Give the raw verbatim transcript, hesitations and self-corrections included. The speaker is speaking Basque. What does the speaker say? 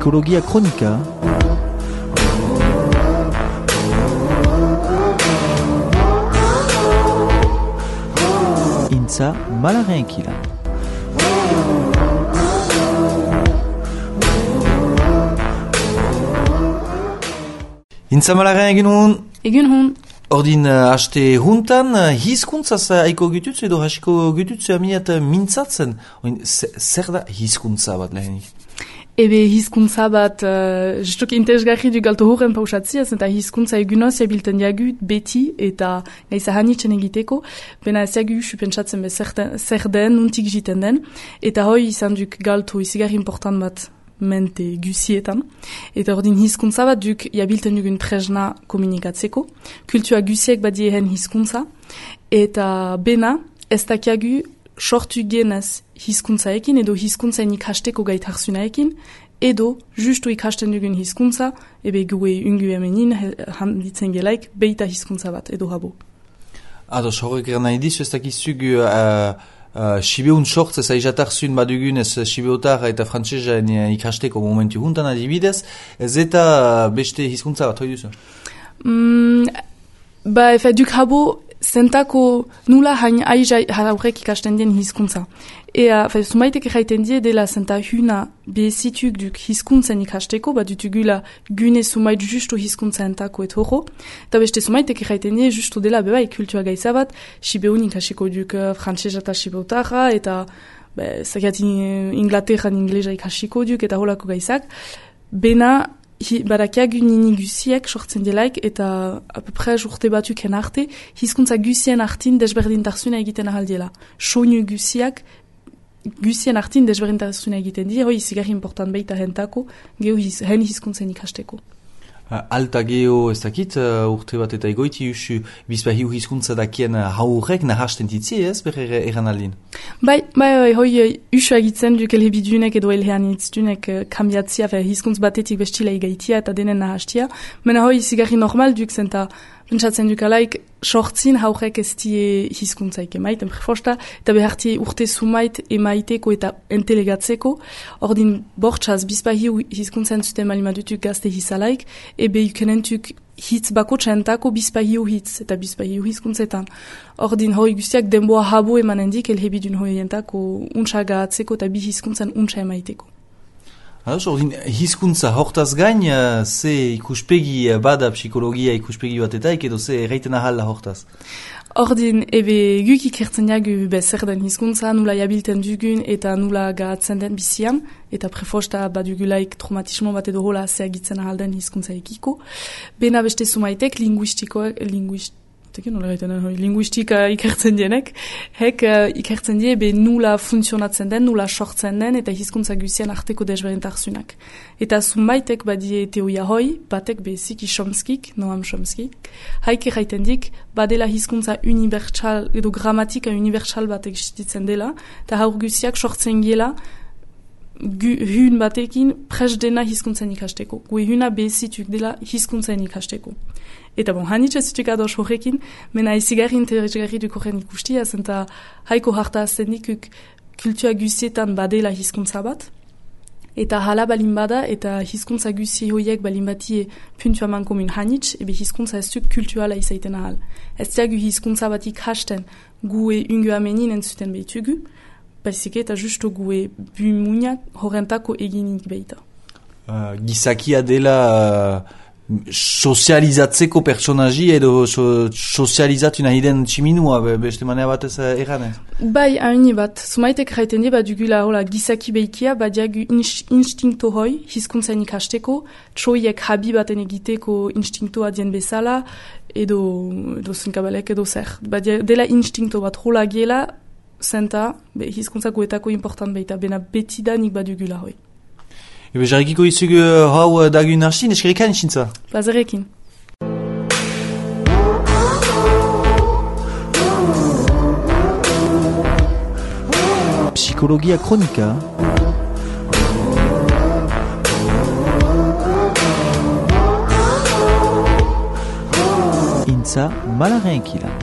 Psikologia kronika. Intza malaren kila. Intza malaren egin hon? Egin hon. Ordin uh, haste huntan, uh, hizkuntzaz uh, aiko gututz edo hasiko gututz amiat uh, mintzatzen. Oin, zer da hizkuntza bat lehenik? Ebe hizkuntza bat, uh, justuk interesgarri du galto horren pausatziaz, eta hizkuntza egunoz jabilten jagu beti eta gaiza hanitzen egiteko, bena ez jagu supentsatzen be zer den, nuntik jiten den, eta hoi izan duk galto izigarri important bat mente gusietan. Eta ordin hizkuntza bat duk jabilten dugun tresna komunikatzeko. Kultua gusiek badiehen hizkuntza. Eta bena, ez dakiagu sortu genez hizkuntzaekin edo hizkuntzaen ikasteko gaitarzunaekin edo justu ikasten dugun hizkuntza ebe gue ungu hemenin handitzen gelaik beita hizkuntza bat edo habo. Ados, horrek gara nahi dizu ez dakizug uh, uh, Sibeun sortz ez aizatarzuin badugun ez Sibeotar eta frantzesan ikasteko momentu juntan adibidez, ez eta beste hizkuntza bat hoi duzu? Mm, ba, efe, duk habo zentako nula hain aiza haurek ikasten dien hizkuntza. Ea, fe, sumaitek erraiten die dela zenta huna bezituk duk hizkuntzen ikasteko, bat dutugula gune sumait justu hizkuntza entako et horro. Eta beste sumaitek erraiten die justu dela beba kultua gaiza bat, Sibeun ikasiko duk frantzesa eta Sibeotarra, eta zakat Inglaterran inglesa ikasiko duk, eta holako gaizak. Bena, Hi, barakia gunini gusiek sortzen delaik eta apepres urte batuken arte hizkuntza gusien artin desberdintasuna egiten ahaldiela. Soinu gusiak gusien artin desberdintasuna egiten di, hoi zigarri important baita hentako, geho his, hen hizkuntzen ikasteko. Uh, alta geho ez dakit, uh, urte bat eta egoiti usu bizpahiu hizkuntza dakien uh, haurek nahasten ditzi ez, berre eran aldin? Bai, bai, bai, hoi usu agitzen duk elhebidunek edo elheanitzunek uh, kambiatzia, fe hizkuntz batetik bestila egaitia eta denen nahastia, mena hoi zigarri normal duk zenta pentsatzen duk alaik sortzin haurek ez die hizkuntzaik emaiten prefosta, eta beharti urte sumait emaiteko eta entelegatzeko, ordin bortxaz bizpahiu hizkuntzen zuten malimadutuk gazte hizalaik, ebe ikenentuk hitz bako txentako bizpahiu hitz eta bizpahiu hizkuntzetan. Ordin hoi guztiak denboa habo emanendik elhebidun hoientako untxagatzeko eta bi hizkuntzen untxa emaiteko. Ados, ordin, hizkuntza hortaz gain, uh, ze ikuspegi uh, bada psikologia ikuspegi bat eta edo ze erraiten ahalla hortaz? Ordin, ebe guk ikertzen jagu bezer den hizkuntza, nula jabilten dugun eta nula garatzen den bizian, eta prefosta badugulaik traumatismo bat edo hola zeagitzen ahalden hizkuntza ekiko. Bena beste sumaitek linguistikoak, linguist, linguistika ikertzen dienek, hek uh, ikertzen die be nula funtzionatzen den, nula sortzen den, eta hizkuntza guzien arteko desberdintarzunak. Eta zumaitek badie teoria hoi, batek be Ziki Chomskik, Noam Chomskik, haik erraiten dik, badela hizkuntza unibertsal, edo gramatika unibertsal bat existitzen dela, eta haur guziak sortzen gela, hun batekin pres dena hizkuntzen ikasteko. Gue huna bezituk dela hizkuntzen ikasteko. Eta bon, hanitza zituk ados horrekin, mena izigarri interesgarri duk horren ikustia, zenta haiko harta azten dikuk kultua guzietan badela hizkuntza bat, eta hala balin bada, eta hizkuntza guzi hoiek balin batie puntua man komun hanitz, ebe hizkuntza ez duk kultuala izaiten ahal. Ez diagu hizkuntza bat ikhasten gue ungu amenin entzuten behitugu, baizik eta justu gue bumuniak horrentako eginik behita. Uh, gizakia dela uh, sozializatzeko personaji edo so, sozializatu nahi den tximinua, be, beste manea batez uh, erranez? Bai, haini bat. Zumaitek raiten die, bat dugula hola, gizaki behikia, bat diagu instinkto hoi, hizkuntzen ikasteko, txoiek habi baten egiteko instinktoa dien bezala, edo, edo zunkabalek edo zer. Bat dela instinkto bat hola gela, zenta, be, hizkuntza guetako important behita, bena betidanik badugula hoi. Ebe, jarrikiko izugu hau uh, dagun arsin, eskerrikan isintza? Plazerekin. Psikologia kronika. Intza malaren kila.